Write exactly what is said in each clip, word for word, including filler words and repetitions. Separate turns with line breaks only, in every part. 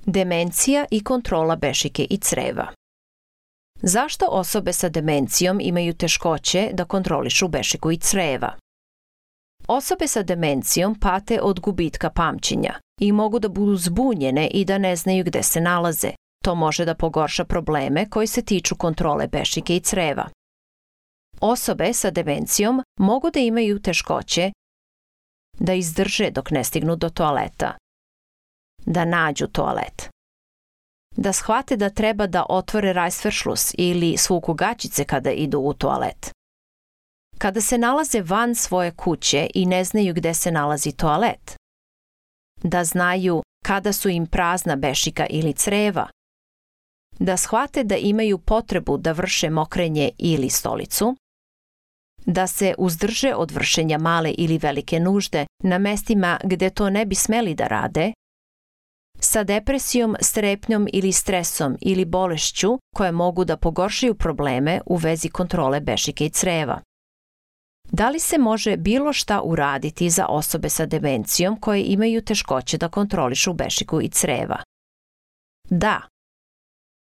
Demencija i kontrola bešike i creva. Zašto osobe sa demencijom imaju teškoće da kontrolišu bešiku i creva? Osobe sa demencijom pate od gubitka pamćenja i mogu da budu zbunjene i da ne znaju gde se nalaze. To može da pogorša probleme koji se tiču kontrole bešike i creva. Osobe sa demencijom mogu da imaju teškoće da izdrže dok ne stignu do toaleta, da nađu toalet, da shvate da treba da otvore rajsveršlus ili svuku gaćice kada idu u toalet. Kada se nalaze van svoje kuće i ne znaju gde se nalazi toalet, da znaju kada su im prazna bešika ili creva, da shvate da imaju potrebu da vrše mokrenje ili stolicu, da se uzdrže od vršenja male ili velike nužde na mestima gde to ne bi smeli da rade, sa depresijom, strepnjom ili stresom ili bolešću koje mogu da pogoršaju probleme u vezi kontrole bešike i creva. Da li se može bilo šta uraditi za osobe sa demencijom koje imaju teškoće da kontrolišu bešiku i creva? Da.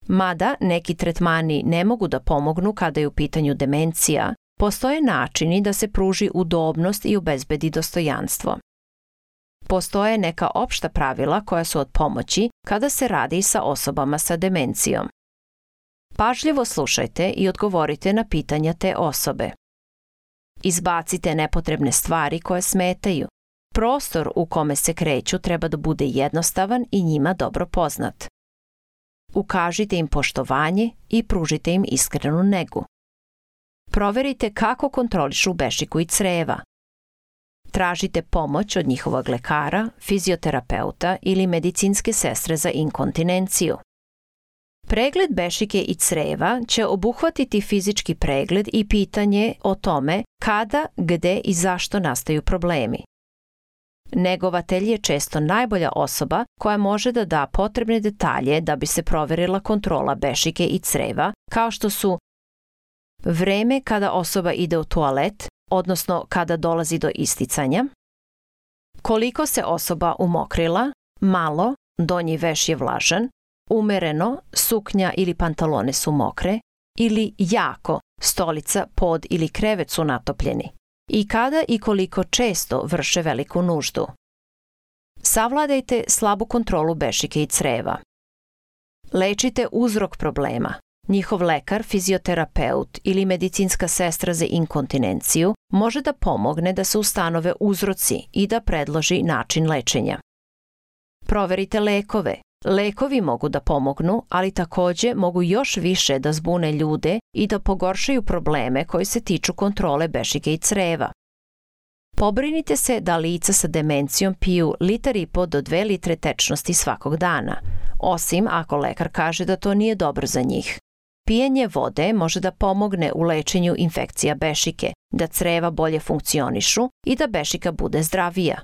Mada neki tretmani ne mogu da pomognu kada je u pitanju demencija, postoje načini da se pruži udobnost i obezbedi dostojanstvo. Postoje neka opšta pravila koja su od pomoći kada se radi sa osobama sa demencijom. Pažljivo slušajte i odgovorite na pitanja te osobe. Izbacite nepotrebne stvari koje smetaju. Prostor u kome se kreću treba da bude jednostavan i njima dobro poznat. Ukažite im poštovanje i pružite im iskrenu negu. Proverite kako kontrolišu bešiku i creva. Tražite pomoć od njihovog lekara, fizioterapeuta ili medicinske sestre za inkontinenciju. Pregled bešike i creva će obuhvatiti fizički pregled i pitanje o tome kada, gde i zašto nastaju problemi. Negovatelj je često najbolja osoba koja može da da potrebne detalje da bi se proverila kontrola bešike i creva, kao što su vreme kada osoba ide u toalet, odnosno kada dolazi do isticanja, koliko se osoba umokrila, malo, donji veš je vlažan, umereno, suknja ili pantalone su mokre, ili jako, stolica, pod ili krevet su natopljeni, i kada i koliko često vrše veliku nuždu. Savladajte slabu kontrolu bešike i creva. Lečite uzrok problema. Njihov lekar, fizioterapeut ili medicinska sestra za inkontinenciju može da pomogne da se ustanove uzroci i da predloži način lečenja. Proverite lekove. Lekovi mogu da pomognu, ali takođe mogu još više da zbune ljude i da pogoršaju probleme koji se tiču kontrole bešike i creva. Pobrinite se da lica sa demencijom piju litar i po do dve litre tečnosti svakog dana, osim ako lekar kaže da to nije dobro za njih. Pijenje vode može da pomogne u lečenju infekcija bešike, da creva bolje funkcionišu i da bešika bude zdravija.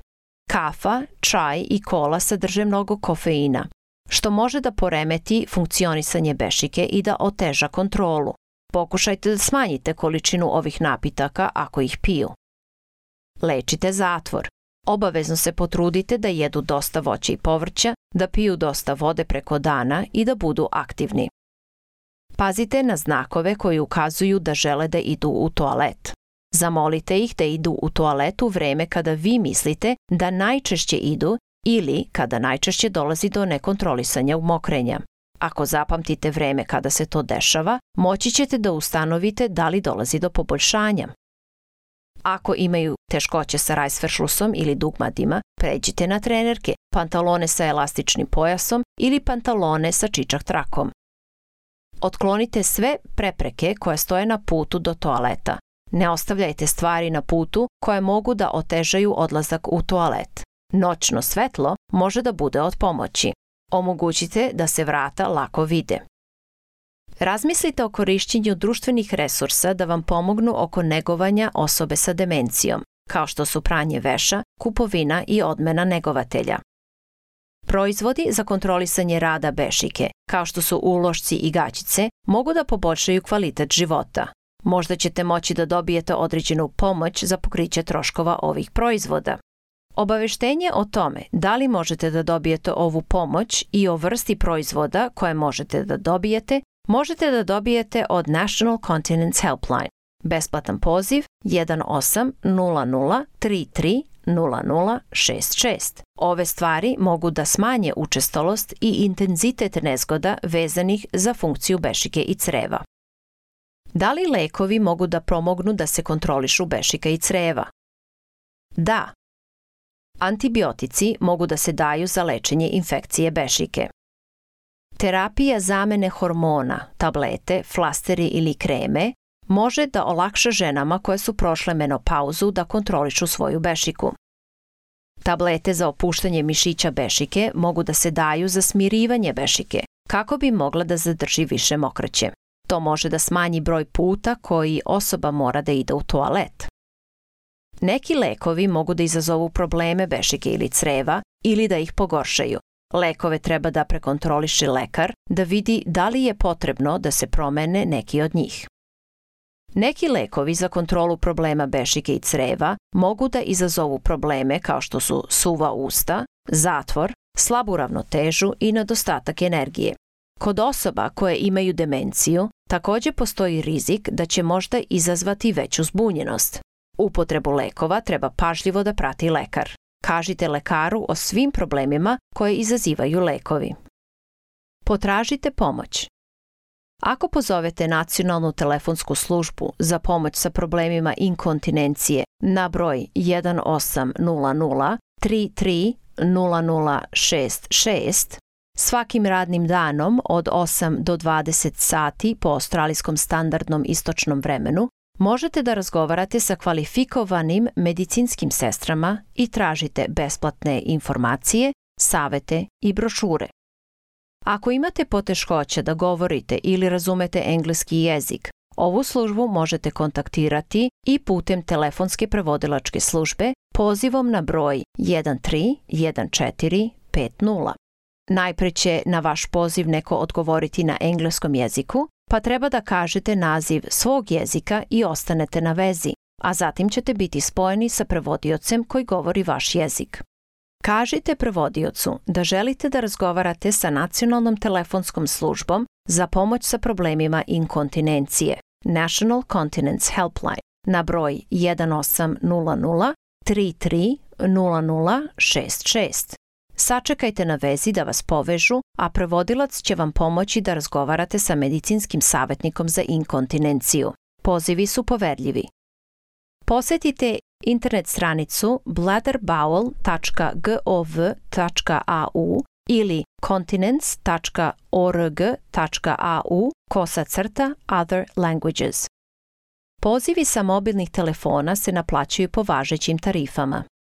Kafa, čaj i kola sadrže mnogo kofeina, što može da poremeti funkcionisanje bešike i da oteža kontrolu. Pokušajte da smanjite količinu ovih napitaka ako ih piju. Lečite zatvor. Obavezno se potrudite da jedu dosta voća i povrća, da piju dosta vode preko dana i da budu aktivni. Pazite na znakove koji ukazuju da žele da idu u toalet. Zamolite ih da idu u toalet u vreme kada vi mislite da najčešće idu ili kada najčešće dolazi do nekontrolisanja umokrenja. Ako zapamtite vreme kada se to dešava, moći ćete da ustanovite da li dolazi do poboljšanja. Ako imaju teškoće sa rajsveršlusom ili dugmadima, pređite na trenerke, pantalone sa elastičnim pojasom ili pantalone sa čičak trakom. Otklonite sve prepreke koje stoje na putu do toaleta. Ne ostavljajte stvari na putu koje mogu da otežaju odlazak u toalet. Noćno svetlo može da bude od pomoći. Omogućite da se vrata lako vide. Razmislite o korišćenju društvenih resursa da vam pomognu oko negovanja osobe sa demencijom, kao što su pranje veša, kupovina i odmena negovatelja. Proizvodi za kontrolisanje rada bešike, kao što su ulošci i gaćice, mogu da poboljšaju kvalitet života. Možda ćete moći da dobijete određenu pomoć za pokriće troškova ovih proizvoda. Obaveštenje o tome da li možete da dobijete ovu pomoć i o vrsti proizvoda koje možete da dobijete, možete da dobijete od National Continence Helpline. Besplatan poziv jedan osam nula nula tri tri nula nula šest šest. Ove stvari mogu da smanje učestalost i intenzitet nezgoda vezanih za funkciju bešike i creva. Da li lekovi mogu da pomognu da se kontrolišu bešika i creva? Da. Antibiotici mogu da se daju za lečenje infekcije bešike. Terapija zamene hormona, tablete, flasteri ili kreme može da olakša ženama koje su prošle menopauzu da kontrolišu svoju bešiku. Tablete za opuštanje mišića bešike mogu da se daju za smirivanje bešike, kako bi mogla da zadrži više mokraće. To može da smanji broj puta koji osoba mora da ide u toalet. Neki lekovi mogu da izazovu probleme bešike ili creva ili da ih pogoršaju. Lekove treba da prekontroliše lekar da vidi da li je potrebno da se promene neki od njih. Neki lekovi za kontrolu problema bešike i creva mogu da izazovu probleme kao što su suva usta, zatvor, slabu ravnotežu i nedostatak energije. Kod osoba koje imaju demenciju takođe postoji rizik da će možda izazvati veću zbunjenost. Upotrebu lekova treba pažljivo da prati lekar. Kažite lekaru o svim problemima koje izazivaju lekovi. Potražite pomoć. Ako pozovete nacionalnu telefonsku službu za pomoć sa problemima inkontinencije na broj jedan osam nula nula tri tri nula nula šest šest, svakim radnim danom od osam do dvadeset sati po australijskom standardnom istočnom vremenu, možete da razgovarate sa kvalifikovanim medicinskim sestrama i tražite besplatne informacije, savete i brošure. Ako imate poteškoća da govorite ili razumete engleski jezik, ovu službu možete kontaktirati i putem telefonske prevodilačke službe pozivom na broj jedan tri jedan četiri pet nula. Najpre će na vaš poziv neko odgovoriti na engleskom jeziku, pa treba da kažete naziv svog jezika i ostanete na vezi, a zatim ćete biti spojeni sa prevodiocem koji govori vaš jezik. Kažite prevodiocu da želite da razgovarate sa nacionalnom telefonskom službom za pomoć sa problemima inkontinencije, National Continence Helpline, na broj jedan osam nula nula tri tri nula nula šest šest. Sačekajte na vezi da vas povežu, a prevodilac će vam pomoći da razgovarate sa medicinskim savetnikom za inkontinenciju. Pozivi su poverljivi. Posetite internet stranicu bladder bowel tačka gov tačka au ili continence tačka org tačka au kosa crta other languages. Pozivi sa mobilnih telefona se naplaćuju po važećim tarifama.